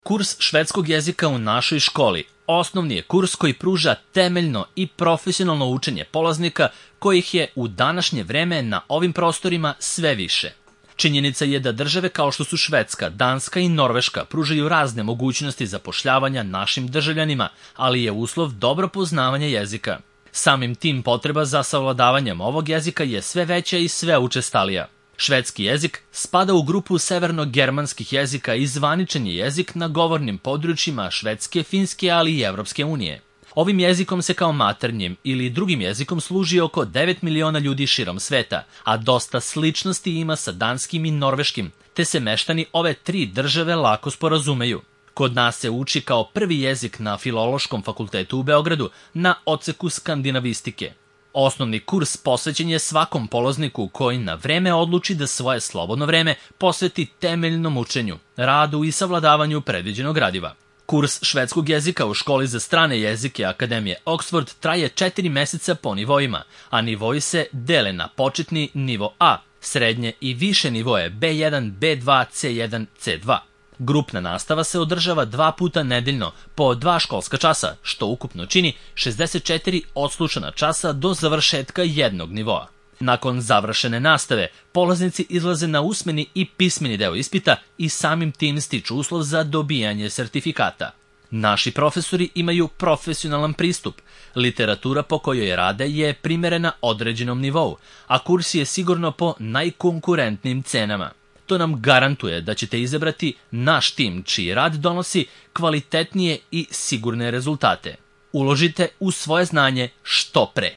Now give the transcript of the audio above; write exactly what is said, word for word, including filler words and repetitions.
Kurs švedskog jezika u našoj školi osnovni je kurs koji pruža temeljno i profesionalno učenje polaznika kojih je u današnje vreme na ovim prostorima sve više. Činjenica je da države kao što su Švedska, Danska i Norveška pružaju razne mogućnosti zapošljavanja našim državljanima, ali je uslov dobro poznavanje jezika. Samim tim potreba za savladavanjem ovog jezika je sve veća i sve učestalija. Švedski jezik spada u grupu severno-germanskih jezika i zvaničan je jezik na govornim područjima Švedske, Finske, ali i Evropske unije. Ovim jezikom se kao maternjim ili drugim jezikom služi oko devet miliona ljudi širom sveta, a dosta sličnosti ima sa danskim i norveškim, te se meštani ove tri države lako sporazumeju. Kod nas se uči kao prvi jezik na Filološkom fakultetu u Beogradu na odseku skandinavistike. Osnovni kurs posvećen je svakom polazniku koji na vreme odluči da svoje slobodno vreme posveti temeljnom učenju, radu i savladavanju predviđenog gradiva. Kurs švedskog jezika u školi za strane jezike Akademije Oxford traje četiri meseca po nivoima, a nivoi se dele na početni nivo A, srednje i više nivoje B jedan, B dva, C jedan, C dva. Grupna nastava se održava dva puta nedeljno po dva školska časa, što ukupno čini šezdeset četiri odslušana časa do završetka jednog nivoa. Nakon završene nastave, polaznici izlaze na usmeni i pismeni deo ispita i samim tim stiču uslov za dobijanje sertifikata. Naši profesori imaju profesionalan pristup. Literatura po kojoj rade je primerena određenom nivou, a kurs je sigurno po najkonkurentnim cenama. To nam garantuje da ćete izabrati naš tim čiji rad donosi kvalitetnije i sigurne rezultate. Uložite u svoje znanje što pre.